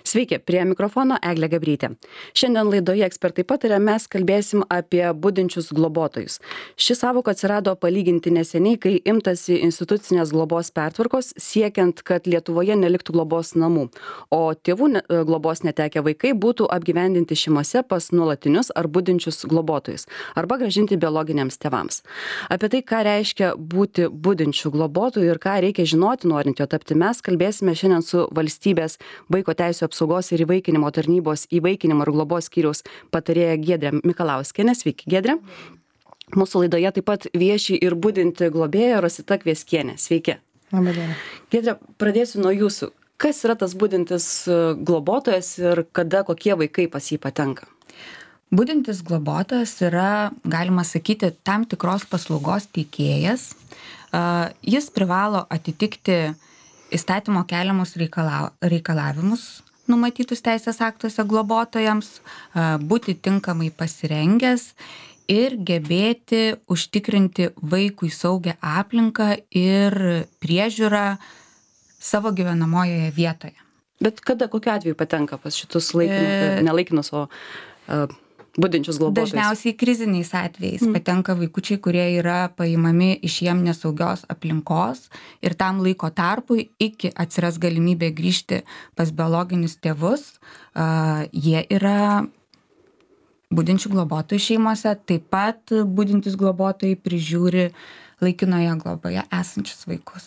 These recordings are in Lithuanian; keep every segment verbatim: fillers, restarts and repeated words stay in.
Sveiki, prie mikrofono Eglė Gabrytė. Šiandien laidoje ekspertai patarė, mes kalbėsim apie budinčius globotojus. Ši sąvoka atsirado palyginti neseniai, kai imtasi institucinės globos pertvarkos, siekiant, kad Lietuvoje neliktų globos namų, o tėvų globos netekę vaikai būtų apgyvendinti šeimose pas nuolatinius ar budinčius globotojus, arba grąžinti biologiniams tėvams. Apie tai, ką reiškia būti budinčių globotojų ir ką reikia žinoti, norint jo tapti, mes kalbėsime šiandien su valstybės vaiko teisių apsaugos ir įvaikinimo tarnybos įvaikinimo ir globos skyriaus patarėja Giedrė Mikalauskienė. Sveiki, Giedrė. Mūsų laidoje taip pat vieši ir budinti globėja Rosita Kvieskienė. Sveiki. Labą dieną. Giedrė, pradėsiu nuo jūsų. Kas yra tas budintis globotojas ir kada kokie vaikai pas jį patenka? Budintis globotojas yra, galima sakyti, tam tikros paslaugos teikėjas. Jis privalo atitikti įstatymo keliamus reikala, reikalavimus numatytus teisės aktuose globotojams, būti tinkamai pasirengęs ir gebėti užtikrinti vaikui saugią aplinką ir priežiūrą savo gyvenamojoje vietoje. Bet kada, kokiu atveju patenka pas šitus laikinus, e... nelaikinus, o uh, budinčius globotojus? Dažniausiai kriziniais atvejais mm. patenka vaikučiai, kurie yra paimami iš jiem nesaugios aplinkos ir tam laiko tarpui, iki atsiras galimybė grįžti pas biologinius tėvus, uh, jie yra budinčių globotojų šeimose. Taip pat budintys globotojai prižiūri laikinoje globoje esančius vaikus.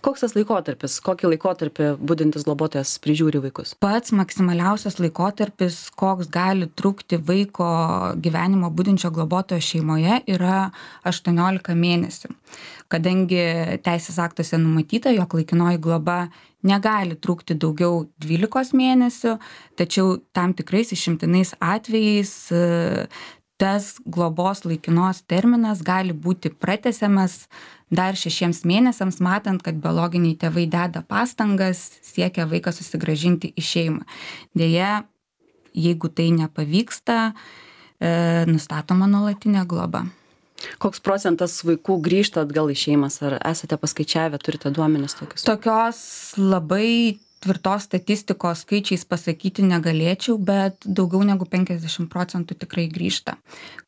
Koks tas laikotarpis? Kokį laikotarpį budintis globotojas prižiūri vaikus? Pats maksimaliausias laikotarpis, koks gali trukti vaiko gyvenimo budinčio globotojo šeimoje, yra aštuoniolika mėnesių. Kadangi teisės aktuose numatyta, jog laikinoji globa negali trukti daugiau dvylikos mėnesių, tačiau tam tikrais išimtinais atvejais tas globos laikinos terminas gali būti pratęsiamas dar šešiems mėnesiams, matant, kad biologiniai tėvai deda pastangas, siekia vaiką susigrąžinti į šeimą. Deja, jeigu tai nepavyksta, e, nustatoma nuolatinė globa. Koks procentas vaikų grįžta atgal į šeimas? Ar esate paskaičiavę, turite duomenis tokius? Tokios labai tvirtos statistikos skaičiais pasakyti negalėčiau, bet daugiau negu penkiasdešimt procentų tikrai grįžta.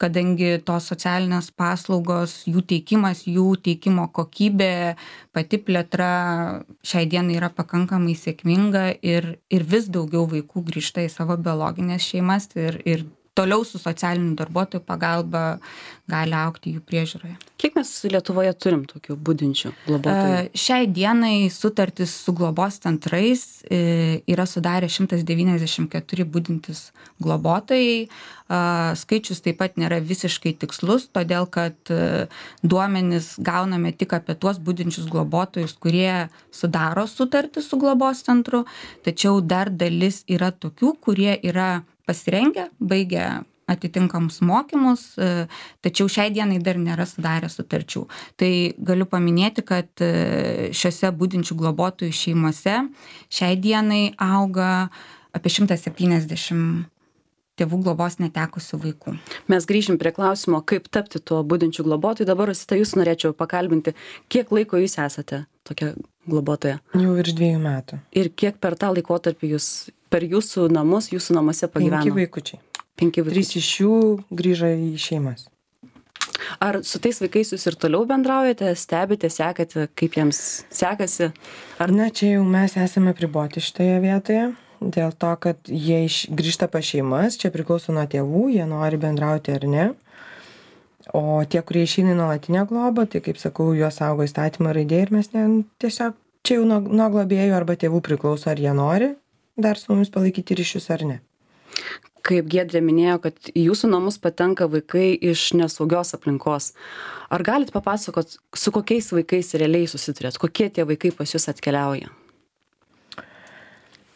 Kadangi tos socialinės paslaugos, jų teikimas, jų teikimo kokybė, pati plėtra šiai dienai yra pakankamai sėkminga ir, ir vis daugiau vaikų grįžta į savo biologinės šeimas ir, ir toliau su socialiniu darbuotojų pagalba gali augti jų priežiūroje. Kiek mes Lietuvoje turim tokių budinčių globotojų? Šiai dienai sutartis su globos centrais yra sudarę šimtas devyniasdešimt keturi budintys globotojai. Skaičius taip pat nėra visiškai tikslus, todėl kad duomenis gauname tik apie tuos budinčius globotojus, kurie sudaro sutartį su globos centru, tačiau dar dalis yra tokių, kurie yra pasirengę, baigę atitinkamus mokymus, tačiau šiai dienai dar nėra sudarę sutarčių. Tai galiu paminėti, kad šiuose budinčių globotojų šeimose šiai dienai auga apie šimtas septyniasdešimt tėvų globos netekusių vaikų. Mes grįžim prie klausimo, kaip tapti tuo budinčių globotojų. Dabar, Rosita, jūs norėčiau pakalbinti, kiek laiko jūs esate tokia globotoja? Jau virš dviejų metų. Ir kiek per tą laikotarpį jūs, per jūsų namus, jūsų namuose pagyveno? Penki vaikučiai. Penki vaikučiai. Trys iš jų grįžo į šeimas. Ar su tais vaikais jūs ir toliau bendraujate, stebite, sekate, kaip jiems sekasi? Ar... Na, čia jau mes esame priboti šitoje vietoje. Dėl to, kad jie iš, grįžta pas šeimas, čia priklauso nuo tėvų, jie nori bendrauti ar ne. O tie, kurie išeina į nuolatinę globą, tai kaip sakau, juos saugo įstatymą raidė ir mes ne, tiesiog čia jau nuo, nuo globėjų arba tėvų priklauso, ar jie nori dar su mumis palaikyti ryšius ar ne. Kaip Giedrė minėjo, kad į jūsų namus patenka vaikai iš nesaugios aplinkos. Ar galit papasakot, su kokiais vaikais realiai susiturėt? Kokie tie vaikai pas jūs atkeliauja?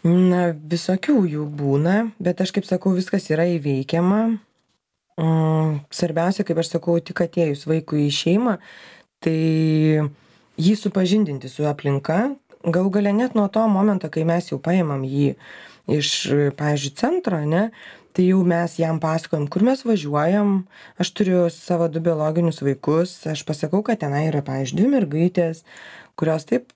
Na, visokių jų būna, bet aš kaip sakau, viskas yra įveikiama. Svarbiausia, kaip aš sakau, tik atėjus vaikui į šeimą, tai jį supažindinti su aplinka. Galų gale net nuo to momento, kai mes jau paimam jį iš, pavyzdžiui, centro, ne, tai jau mes jam pasakojam, kur mes važiuojam. Aš turiu savo du biologinius vaikus, aš pasakau, kad tenai yra, pavyzdžiui, dvi mergaitės, kurios taip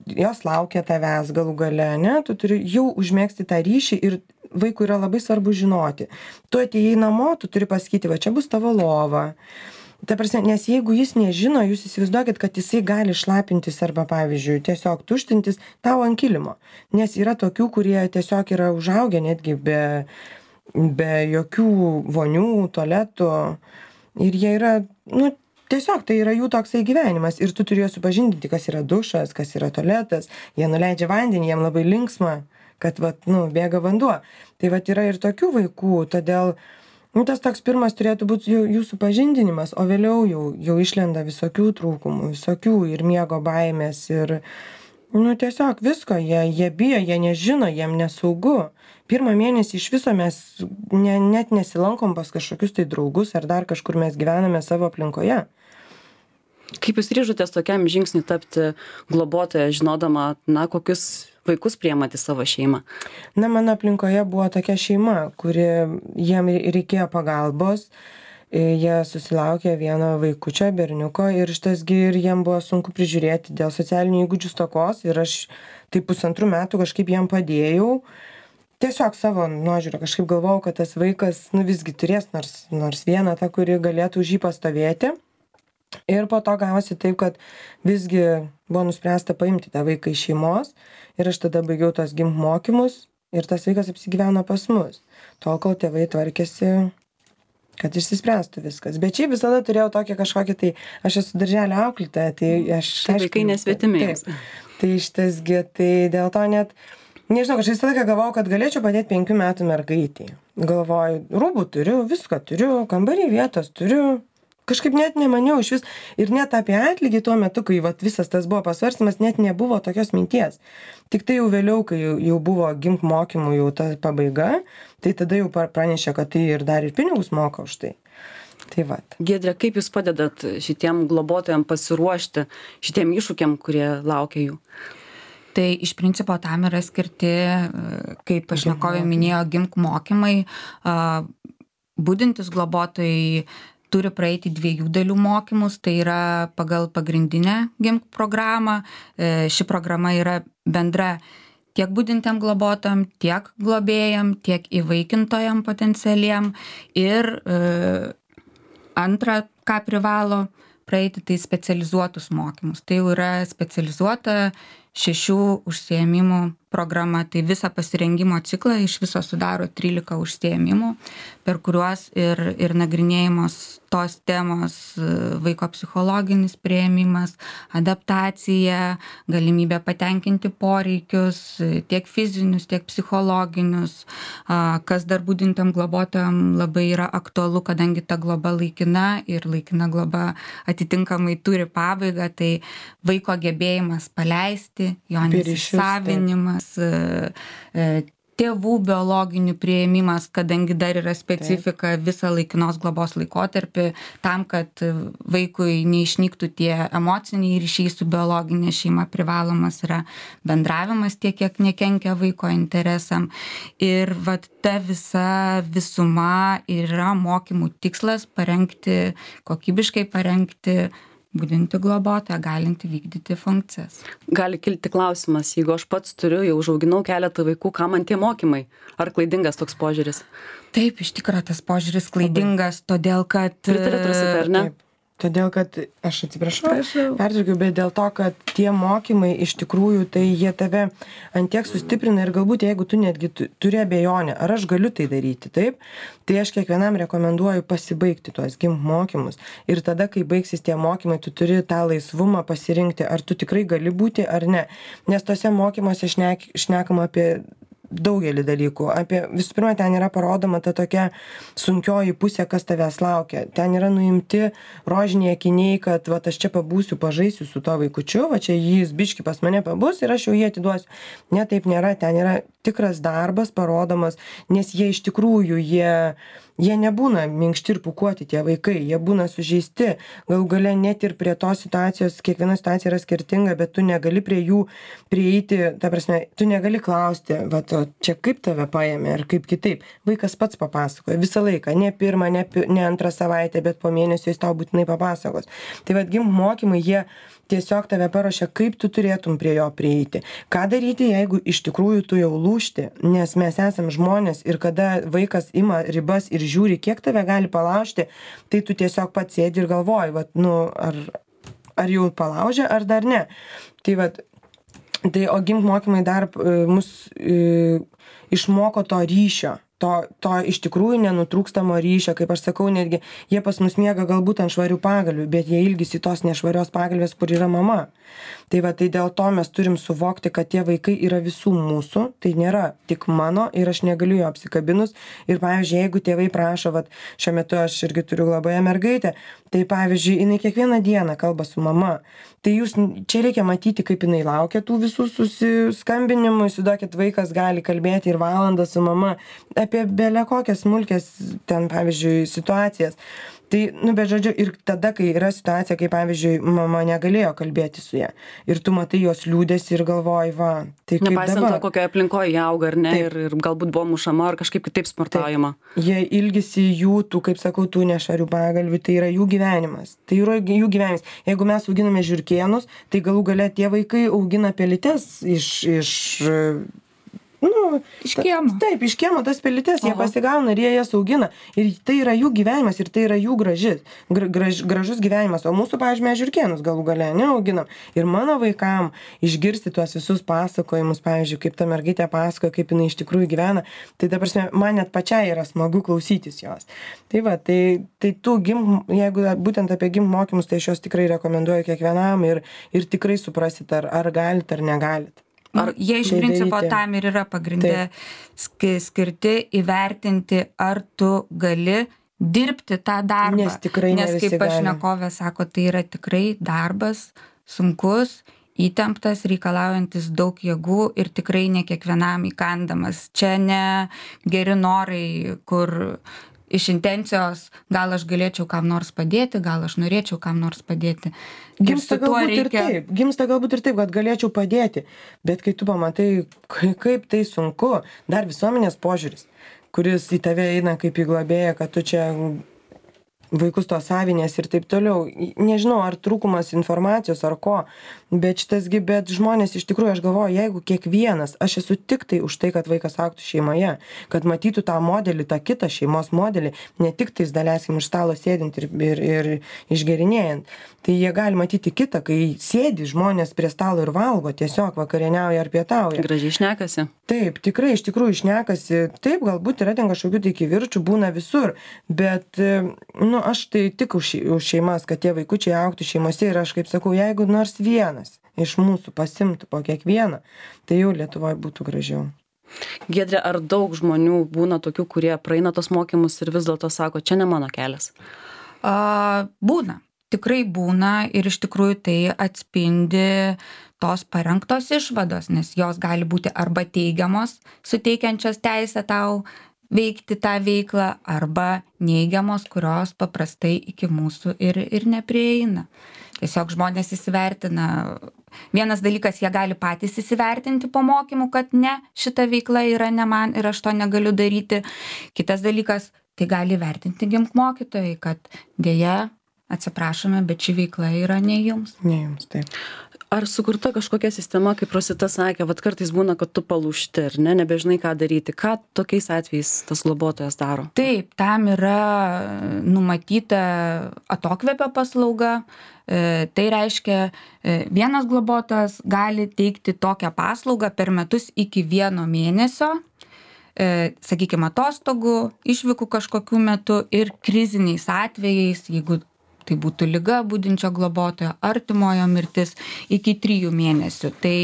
jos laukia tavęs galų gale, ne, tu turi jau užmėgsti tą ryšį ir vaikui yra labai svarbu žinoti. Tu atėjai namo, tu turi pasakyti, va čia bus tavo lova. Ta prasme, nes jeigu jis nežino, jūs įsivaizduokit, kad jisai gali šlapintis arba, pavyzdžiui, tiesiog tuštintis tau ant kilimo. Nes yra tokių, kurie tiesiog yra užaugę netgi be, be jokių vonių, tualetų. Ir jie yra, nu, tiesiog tai yra jų toksai gyvenimas. Ir tu turi juos supažindinti, kas yra dušas, kas yra tualetas. Jie nuleidžia vandenį, jiem labai linksma, kad, vat, nu, bėga vanduo. Tai vat yra ir tokių vaikų, todėl nu, tas toks pirmas turėtų būti jų, jų supažindinimas, o vėliau jau, jau išlenda visokių trūkumų, visokių ir miego baimės ir, nu, tiesiog visko, jie, jie bijo, jie nežino, jiem nesaugu. Pirmą mėnesį iš viso mes ne, net nesilankom pas kažkokius tai draugus ar dar kažkur mes gyvename savo aplinkoje. Kaip jūs ryžotės tokiam žingsniui tapti globotoja, žinodama, na, kokius vaikus priimate į savo šeimą? Na, mano aplinkoje buvo tokia šeima, kuri jiem reikėjo pagalbos. Jie susilaukė vieno vaikučio, berniuko, ir šitasgi ir jiem buvo sunku prižiūrėti dėl socialinių įgūdžių stokos. Ir aš tai pusantrų metų kažkaip jiem padėjau. Tiesiog savo nuožiūrą kažkaip galvojau, kad tas vaikas, nu, visgi turės nors, nors vieną tą, kuri galėtų už jį pastovėti. Ir po to gavosi taip, kad visgi buvo nuspręsta paimti tą vaiką iš šeimos ir aš tada baigiau tos gimk mokymus ir tas vaikas apsigyveno pas mus. Tol, kol tėvai tvarkėsi, kad išsispręstų viskas. Bet šiaip visada turėjau tokį kažkokį, tai aš esu darželio auklėtoja, tai aš... Tai vaikai nesvetimi. Tai šitasgi, tai dėl to net, nežinau, aš visą laiką galvojau, kad galėčiau padėti penkių metų mergaitį. Galvoju, rūbų turiu, viską turiu, kambarį vietos turiu. Kažkaip net nemaniau iš vis ir net apie atlygį tuo metu, kai vat, visas tas buvo pasvarstymas, net nebuvo tokios minties. Tik tai jau vėliau, kai jau, jau buvo gimk mokymų jau ta pabaiga, tai tada jau pranešė, kad tai ir dar ir pinigus moka už tai. Tai vat. Giedre, kaip jūs padedat šitiem globotojam pasiruošti šitiem iššūkiam, kurie laukia jų? Tai iš principo tam yra skirti, kaip pašnekovė minėjo, gimk mokymai. Budintys globotojai turi praeiti dviejų dalių mokymus, tai yra pagal pagrindinę gimk programą. Ši programa yra bendra tiek budintiem globotojam, tiek globėjam, tiek įvaikintojam potencialiem. Ir e, antra, ką privalo praeiti, tai specializuotus mokymus. Tai jau yra specializuota šešių užsiėmimų programa. Tai visą pasirengimo ciklą iš viso sudaro trylika užsiėmimų, per kuriuos ir, ir nagrinėjamos tos temos vaiko psichologinis priėmimas, adaptacija, galimybė patenkinti poreikius, tiek fizinius, tiek psichologinius, kas dar budintiem globotojam labai yra aktualu, kadangi ta globa laikina ir laikina globa atitinkamai turi pabaigą, tai vaiko gebėjimas paleisti, jo nesisavinimas, tėvų biologinių priėmimas, kadangi dar yra specifika visą laikinos globos laikotarpį, tam, kad vaikui neišnyktų tie emociniai ryšiai su biologinė šeima, privalomas yra bendravimas tiek, kiek nekenkia vaiko interesam. Ir vat ta visa visuma yra mokymų tikslas parengti, kokybiškai parengti budinti globotoją, galinti vykdyti funkcijas. Gali kilti klausimas, jeigu aš pats turiu, jau užauginau keletą vaikų, ką man tie mokymai? Ar klaidingas toks požiūris? Taip, iš tikrųjų tas požiūris klaidingas, todėl kad... Pritariat Rosita, ar ne? Taip. Todėl, kad, aš atsiprašau, pertraukiu, bet dėl to, kad tie mokymai iš tikrųjų, tai jie tave ant tiek sustiprina ir galbūt jeigu tu netgi turi abejonę, ar aš galiu tai daryti, taip, tai aš kiekvienam rekomenduoju pasibaigti tuos gimk mokymus. Ir tada, kai baigsis tie mokymai, tu turi tą laisvumą pasirinkti, ar tu tikrai gali būti ar ne. Nes tose mokymuose šnek, šnekama apie daugelį dalykų. Apie, visų pirma, ten yra parodoma ta tokia sunkioji pusė, kas tavęs laukia. Ten yra nuimti rožiniai akiniai, kad va, aš čia pabūsiu, pažaisiu su to vaikučiu, va čia jis biški pas mane pabus ir aš jau jį atiduosiu. Ne, taip nėra. Ten yra tikras darbas parodomas, nes jie iš tikrųjų, jie, jie nebūna minkšti ir pūkuoti tie vaikai, jie būna sužeisti. Galų gale net ir prie tos situacijos, kiekviena situacija yra skirtinga, bet tu negali prie jų prieiti, ta prasme, tu negali klausti, va, o čia kaip tave paėmė ar kaip kitaip. Vaikas pats papasakoja visą laiką, ne pirmą, ne, ne antrą savaitę, bet po mėnesio jis tau būtinai papasakos. Tai vad gimk mokymai, jie tiesiog tave paruošia, kaip tu turėtum prie jo prieiti. Ką daryti, jeigu iš tikrųjų tu jau lūžti, nes mes esam žmonės ir kada vaikas ima ribas ir žiūri, kiek tave gali palaužti, tai tu tiesiog pats sėdi ir galvoji, vat, nu, ar, ar jau palaužė, ar dar ne. Tai vat, tai o gimk mokymai dar e, mus e, išmoko to ryšio. To, to iš tikrųjų nenutrūkstamo ryšio, kaip aš sakau, netgi jie pas mus miega galbūt ant švarių pagalvių, bet jie ilgisi tos nešvarios pagalvės, kur yra mama. Tai va, tai dėl to mes turim suvokti, kad tie vaikai yra visų mūsų, tai nėra tik mano ir aš negaliu jo apsikabinus. Ir pavyzdžiui, jeigu tėvai prašo, va, šiuo metu aš irgi turiu globoje mergaitę, tai pavyzdžiui, jinai kiekvieną dieną kalba su mama. Tai jūs, čia reikia matyti, kaip jinai laukia tų visų susiskambinimų, įsivaizduokit, vaikas gali kalbėti ir valandą su mama apie bele kokias smulkės ten, pavyzdžiui, situacijas. Tai, nu, bet žodžiu, ir tada, kai yra situacija, kai, pavyzdžiui, mama negalėjo kalbėti su ja, ir tu matai jos liūdesį ir galvoji, va, tai kaip Nepaisant dabar. to, kokioje aplinkoje jie auga, ar ne, Taip. ir, ir galbūt buvo mušama, ar kažkaip kitaip smurtaujama. Jie ilgisi jų, tų, kaip sakau, tų nešvarių pagalvių, tai yra jų gyvenimas. Tai yra jų gyvenimas. Jeigu mes auginame žiurkėnus, tai galų gale tie vaikai augina pelytes iš, iš nu, Iš kiemo. Taip, iš kiemo tas pelytes, jie Aha. pasigauna ir jie jas augina. Ir tai yra jų gyvenimas ir tai yra jų gražis, gra, graž, gražus gyvenimas. O mūsų, pavyzdžiui, mes žiurkėnus galų gale neauginam. Ir mano vaikam išgirsti tuos visus pasakojimus, pavyzdžiui, kaip ta mergaitė pasakoja, kaip jinai iš tikrųjų gyvena, tai dabar man net pačiai yra smagu klausytis jos. Tai va, tai, tai tu gim, jeigu būtent apie gim mokymus, tai aš juos tikrai rekomenduoju kiekvienam ir, ir tikrai suprasit, ar, ar galit, ar negalit. Ar jie iš tai principo daryti? tam ir yra pagrindė ski- skirti įvertinti, ar tu gali dirbti tą darbą. Nes tikrai ne Nes visi kaip gali. pašnekovė sako, tai yra tikrai darbas sunkus, įtemptas, reikalaujantis daug jėgų ir tikrai ne kiekvienam įkandamas. Čia ne geri norai, kur iš intencijos gal aš galėčiau kam nors padėti, gal aš norėčiau kam nors padėti. Ir Gimsta su tuo galbūt ir reikia- taip, gimsta galbūt ir taip, kad galėčiau padėti, bet kai tu pamatai, kai- kaip tai sunku, dar visuomenės požiūris, kuris į tave eina kaip į globėją, kad tu čia vaikus to savinės ir taip toliau. Nežinau, ar trūkumas informacijos ar ko, bet šitasgi, bet žmonės iš tikrųjų, aš galvoju, jeigu kiekvienas, aš esu tik tai už tai, kad vaikas augtų šeimoje, kad matytų tą modelį, tą kitą šeimos modelį, ne tik tais, daleiskim, už stalo sėdint ir, ir, ir išgerinėjant. Tai jie gali matyti kitą, kai sėdi žmonės prie stalo ir valgo, tiesiog vakarieniauja ar pietauja. Gražiai šnekasi. Taip, tikrai iš tikrųjų šnekasi. Taip, galbūt yra ten kažkokių tai kivirčių, būna visur, bet, nu, aš tai tik už, už šeimas, kad tie vaikučiai augtų šeimose ir aš kaip sakau, jeigu nors vienas iš mūsų pasimtų po kiekvieną, tai jau Lietuvoje būtų gražiau. Giedre, ar daug žmonių būna tokių, kurie praeina tos mokymus ir vis dėlto sako, čia ne mano kelias? A, būna. Tikrai būna ir iš tikrųjų tai atspindi tos parengtos išvados, nes jos gali būti arba teigiamos, suteikiančios teisę tau veikti tą veiklą, arba neigiamos, kurios paprastai iki mūsų ir, ir neprieina. Tiesiog žmonės įsivertina. Vienas dalykas, jie gali patys įsivertinti po mokymų, kad ne, šita veikla yra ne man ir aš to negaliu daryti. Kitas dalykas, tai gali vertinti gimk mokytojai, kad dėja, atsiprašome, bet ši veikla yra ne jums. Ne jums, taip. Ar sukurta kažkokia sistema, kaip Rosita sakė, vat kartais būna, kad tu palūžti, ar ne, nebežinai ką daryti. Ką tokiais atvejais tas globotojas daro? Taip, tam yra numatyta atokvėpio paslauga. E, tai reiškia, e, vienas globotojas gali teikti tokią paslaugą per metus iki vieno mėnesio, e, sakykime, atostogų, išvykų kažkokiu metu ir kriziniais atvejais, jeigu tai būtų liga budinčio globotojo, artimojo mirtis, iki trijų mėnesių. Tai,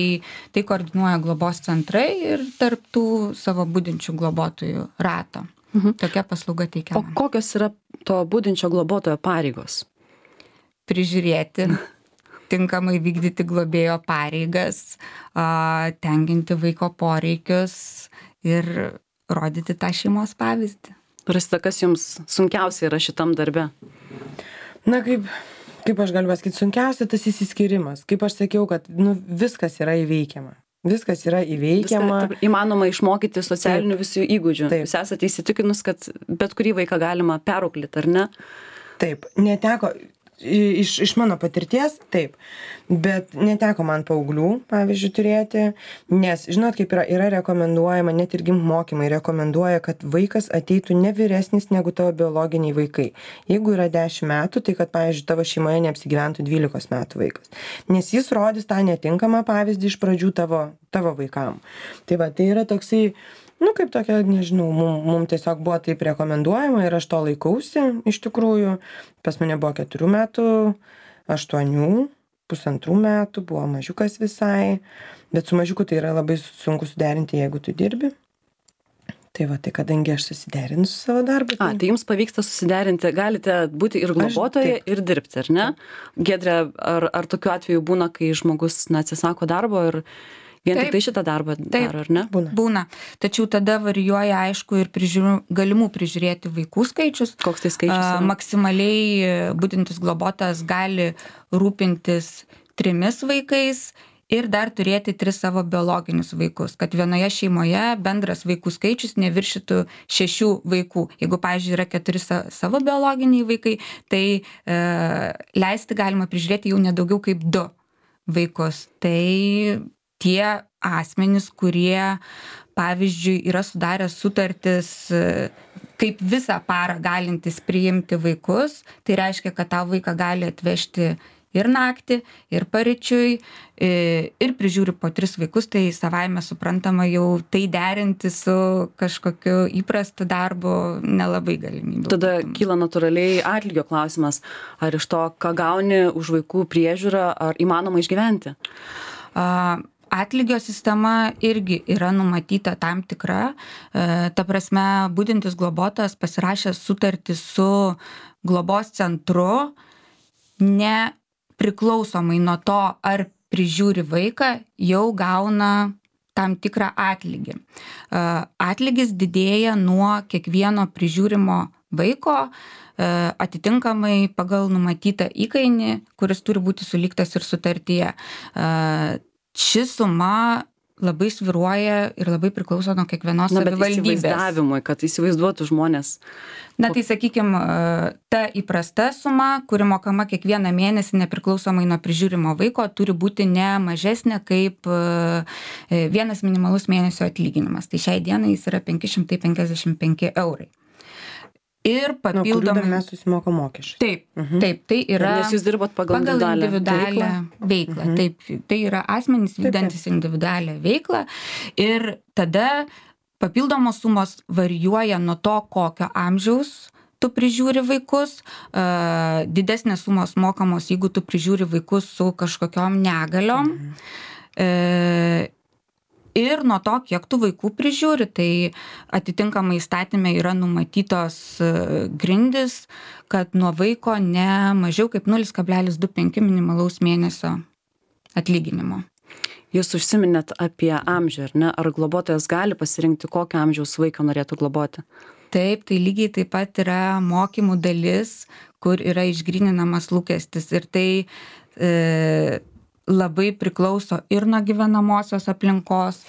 tai koordinuoja globos centrai ir tarp tų savo budinčių globotojų rato. Mhm. Tokia paslauga O teikiama. kokios yra to budinčio globotojo pareigos? Prižiūrėti, tinkamai vykdyti globėjo pareigas, a, tenkinti vaiko poreikius ir rodyti tą šeimos pavyzdį. Rosita, kas jums sunkiausia yra šitam darbe? Na, kaip, kaip aš galiu pasakyti, sunkiausia tas įsiskyrimas. Kaip aš sakiau, kad nu, viskas yra įveikiama. Viskas yra įveikiama. Viską įmanoma išmokyti socialinių visų įgūdžių. Taip. Jūs esate įsitikinus, kad bet kurį vaiką galima perauklėti, ar ne? Taip, neteko. iš, iš mano patirties, taip. Bet neteko man paauglių, pavyzdžiui, turėti, nes, žinot, kaip yra, yra rekomenduojama, net irgi mokymai rekomenduoja, kad vaikas ateitų ne vyresnis negu tavo biologiniai vaikai. Jeigu yra dešimt metų, tai kad, pavyzdžiui, tavo šeimoje neapsigyventų dvylikos metų vaikas. Nes jis rodys tą netinkamą pavyzdį iš pradžių tavo, tavo vaikam. Tai va, tai yra toksai, nu, kaip tokia, nežinau, mum, mum tiesiog buvo taip rekomenduojama ir aš to laikausi, iš tikrųjų. Pas mane buvo keturių metų, aštuonių, pusantrų metų, buvo mažiukas visai, bet su mažiuku tai yra labai sunku suderinti, jeigu tu dirbi. Tai va, tai kadangi aš susiderinu su savo darbu. Tai... A, tai jums pavyksta susiderinti, galite būti ir globotoje, ir dirbti, ar ne? Giedre, ar, ar tokiu atveju būna, kai žmogus na, atsisako darbo ir vien taip, tik tai šitą darbą daro, ar ne? Būna. Būna. Tačiau tada varijuoja, aišku, ir prižiūrų, galimų prižiūrėti vaikų skaičius. Koks tai skaičius? A, maksimaliai budintis globotojas gali rūpintis trimis vaikais ir dar turėti tris savo biologinius vaikus, kad vienoje šeimoje bendras vaikų skaičius neviršytų šešių vaikų. Jeigu, pavyzdžiui, yra keturi sa, savo biologiniai vaikai, tai e, leisti galima prižiūrėti jau nedaugiau kaip du vaikus. Tai tie asmenys, kurie, pavyzdžiui, yra sudarę sutartis kaip visą parą galintis priimti vaikus, tai reiškia, kad tą vaiką gali atvežti ir naktį, ir paryčiui, ir prižiūri po tris vaikus, tai savaime suprantama jau tai derinti su kažkokiu įprastu darbu nelabai galimybių. Tada kyla natūraliai atlygio klausimas, ar iš to, ką gauni už vaikų priežiūrą, ar įmanoma išgyventi? Uh, Atlygio sistema irgi yra numatyta tam tikra. Ta prasme, budintis globotojas pasirašęs sutartį su globos centru, nepriklausomai nuo to, ar prižiūri vaiką, jau gauna tam tikrą atlygį. Atlygis didėja nuo kiekvieno prižiūrimo vaiko, atitinkamai pagal numatytą įkainį, kuris turi būti suliktas ir sutartyje. Ši suma labai svyruoja ir labai priklauso nuo kiekvienos savivaldybės. Na, bet įsivaizdavimui, kad įsivaizduotų žmonės. Na, tai sakykime, ta įprasta suma, kuri mokama kiekvieną mėnesį nepriklausomai nuo prižiūrimo vaiko, turi būti ne mažesnė kaip vienas minimalus mėnesio atlyginimas. Tai šiai dienai jis yra penki šimtai penkiasdešimt penki eurai. Ir papildomai mes susimokam mokesčius. Taip, uh-huh. taip, tai yra nes jūs dirbat pagal, pagal individualią, individualią veiklą. veiklą. Uh-huh. Taip, tai yra asmenys vykdantis individualią veiklą ir tada papildomos sumos varijuoja nuo to, kokio amžiaus tu prižiūri vaikus, uh, didesnės sumos mokamos, jeigu tu prižiūri vaikus su kažkokiom negaliom. Uh-huh. Uh, Ir nuo to, kiek tų vaikų prižiūri, tai atitinkamai įstatyme yra numatytos grindys, kad nuo vaiko ne mažiau kaip nulis kablelis du penki minimalaus mėnesio atlyginimo. Jūs užsiminėt apie amžių, ar ne? Ar globotojas gali pasirinkti, kokio amžiaus vaiką norėtų globoti? Taip, tai lygiai taip pat yra mokymų dalis, kur yra išgryninamas lūkestis. Ir tai... E, labai priklauso ir nuo gyvenamosios aplinkos,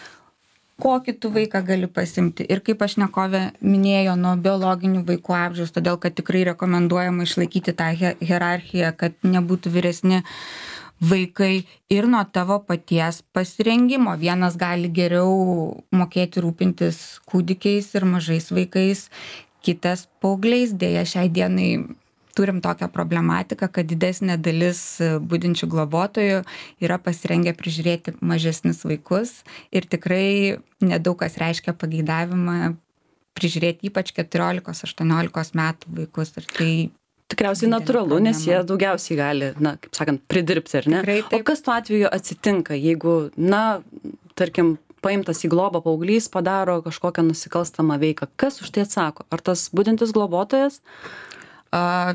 kokį tu vaiką gali pasimti. Ir kaip pašnekovė minėjo, nuo biologinių vaikų amžiaus, todėl kad tikrai rekomenduojama išlaikyti tą hierarchiją, kad nebūtų vyresni vaikai ir nuo tavo paties pasirengimo. Vienas gali geriau mokėti rūpintis kūdikiais ir mažais vaikais, kitas paaugliais. Dėja, šiai dienai turim tokią problematiką, kad didesnė dalis budinčių globotojų yra pasirengę prižiūrėti mažesnius vaikus ir tikrai nedaug kas reiškia pageidavimą prižiūrėti ypač keturiolikos aštuoniolikos metų vaikus. Ir tai tikriausiai natūralu, nes jie daugiausiai gali, na, kaip sakant, pridirbti, ar ne? Tikrai, o kas tuo atveju atsitinka, jeigu, na, tarkim, paimtas į globą paauglys padaro kažkokią nusikalstamą veiką? Kas už tai atsako? Ar tas budintis globotojas? Uh,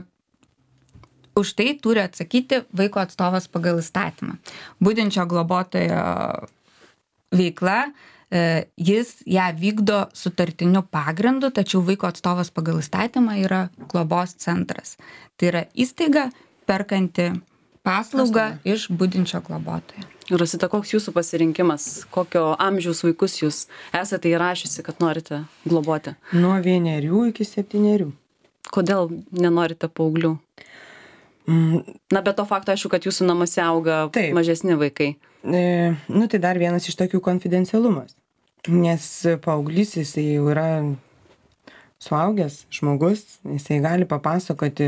už tai turi atsakyti vaiko atstovas pagal įstatymą. Budinčio globotojo veikla, uh, jis ją vykdo sutartiniu pagrindu, tačiau vaiko atstovas pagal įstatymą yra globos centras. Tai yra įstaiga perkanti paslaugą iš budinčio globotojo. Rosita, koks jūsų pasirinkimas? Kokio amžiaus vaikus jūs esate įrašiusi, kad norite globoti? Nuo vienerių iki septynerių. Kodėl nenorite paauglių? Mm, Na, be to fakto, aišku, kad jūsų namuose auga Taip. mažesni vaikai. e, nu tai dar vienas iš tokių konfidencialumas. Nes paauglys jisai jau yra suaugęs žmogus, jisai gali papasakoti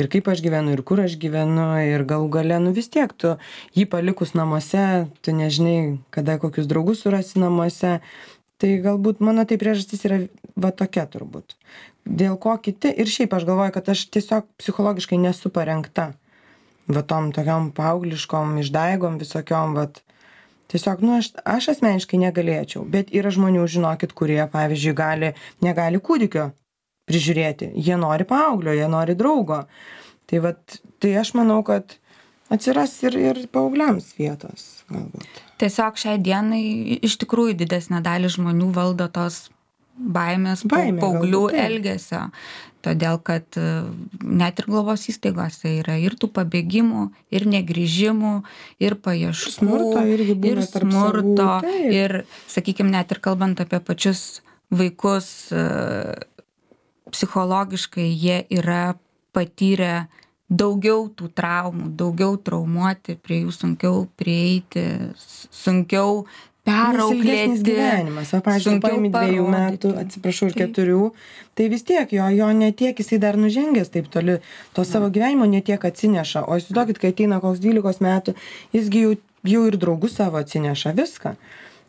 ir kaip aš gyvenu, ir kur aš gyvenu, ir galų gale, nu vis tiek tu jį palikus namuose, tu nežinai, kada kokius draugus surasi namuose. Tai galbūt mano tai priežastis yra va tokia turbūt. Dėl ko kiti, ir šiaip aš galvoju, kad aš tiesiog psichologiškai nesu parengta va tom tokiom paaugliškom išdaigom visokiom, va tiesiog, nu aš, aš asmeniškai negalėčiau, bet yra žmonių, žinokit, kurie, pavyzdžiui, gali, negali kūdikio prižiūrėti, jie nori paauglio, jie nori draugo. Tai va, tai aš manau, kad atsiras ir, ir paaugliams vietos galbūt. Tiesiog šiai dienai iš tikrųjų didesnė dalis žmonių valdo tos baimės, Baimė, paauglių galbūt, taip. elgesio. Todėl, kad e, net ir globos įstaigose yra ir tų pabėgimų, ir negrįžimų, ir paieškų, Smurto irgi būna ir tarp smurto, savų, taip. ir, sakykime, net ir kalbant apie pačius vaikus, e, psichologiškai jie yra patyrę daugiau tų traumų, daugiau traumuoti, prie jų sunkiau prieiti, s- sunkiau Nes ilgesnis perauklėti. gyvenimas, va, pavyzdžiui, sunkiau paimi dviejų metų, parodyti. atsiprašau, ir Taip. keturių, tai vis tiek jo, jo netiek jisai dar nužengęs taip toli, to savo gyvenimo netiek atsineša, o įsivaizduokit, kai ateina koks dvylikos metų, jisgi jau, jau ir draugus savo atsineša viską.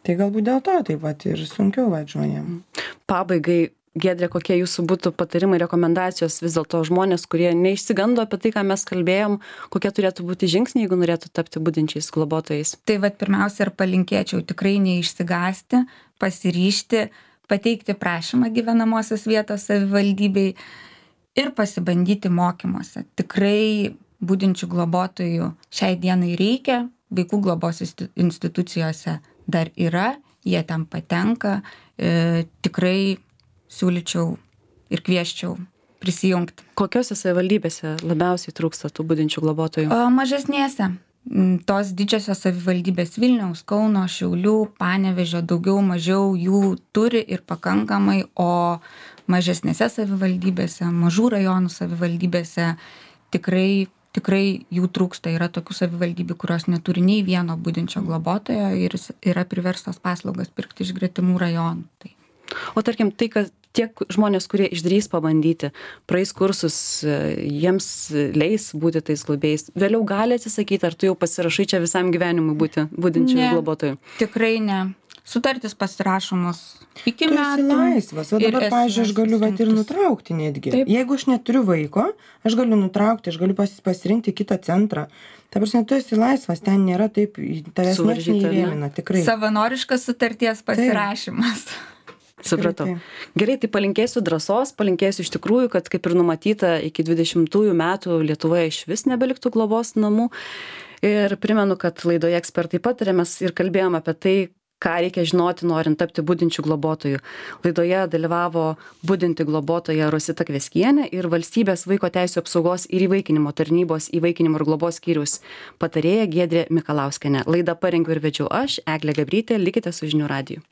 Tai galbūt dėl to taip pat ir sunkiau va žmonėm. Pabaigai, Giedrė, kokie jūsų būtų patarimai, rekomendacijos vis dėlto žmonės, kurie neišsigando apie tai, ką mes kalbėjom, kokie turėtų būti žingsniai, jeigu norėtų tapti budinčiais globotojais? Tai vat pirmiausia ir palinkėčiau tikrai neišsigąsti, pasiryžti, pateikti prašymą gyvenamosios vietos savivaldybei ir pasibandyti mokymuose. Tikrai budinčių globotojų šiai dienai reikia, vaikų globos insti- institucijose dar yra, jie ten patenka, e, tikrai siūlyčiau ir kvieščiau prisijungti. Kokiose savivaldybėse labiausiai trūksta tų budinčių globotojų? O mažesnėse. m, Tos didžiosios savivaldybės Vilniaus, Kauno, Šiaulių, Panevėžio daugiau mažiau jų turi ir pakankamai, o mažesnėse savivaldybėse, mažų rajonų savivaldybėse tikrai, tikrai jų trūksta. Yra tokių savivaldybių, kurios neturi nei vieno budinčio globotojo ir s- yra priverstos paslaugas pirkti iš gretimų rajonų. Tai O tarkim, tai, kad tiek žmonės, kurie išdrys pabandyti, praeis kursus, e, jiems leis būti tais globėjais, vėliau gali atsisakyti, ar tu jau pasirašai čia visam gyvenimui būti budinčių Ne. globotojų? tikrai ne. Sutartis pasirašomos iki Tu esi metų. laisvas, o ir dabar, esi pavyzdžiui, aš galiu vat ir laisvas nutraukti netgi. Taip. Jeigu aš neturiu vaiko, aš galiu nutraukti, aš galiu pas, pasirinkti kitą centrą. Ta prasme, tu esi laisvas, ten nėra taip, tavęs nieks Suvaržyta, ar ne? neįrėmina, tikrai. Savanoriškas sutarties pasirašymas. Supratau. taip. Gerai, tai palinkėsiu drąsos, palinkėsiu iš tikrųjų, kad kaip ir numatyta, iki dvidešimtųjų metų Lietuvoje iš vis nebeliktų globos namų. Ir primenu, kad laidoje ekspertai patarė, mes ir kalbėjom apie tai, ką reikia žinoti, norint tapti budinčių globotojų. Laidoje dalyvavo budinti globotoja Rosita Kveskienė ir Valstybės vaiko teisių apsaugos ir įvaikinimo tarnybos įvaikinimo ir globos skyriaus patarėja Giedrė Mikalauskienė. Laidą parengiau ir vedžiau aš, Eglė Gabrytė, likite su žinių radiju.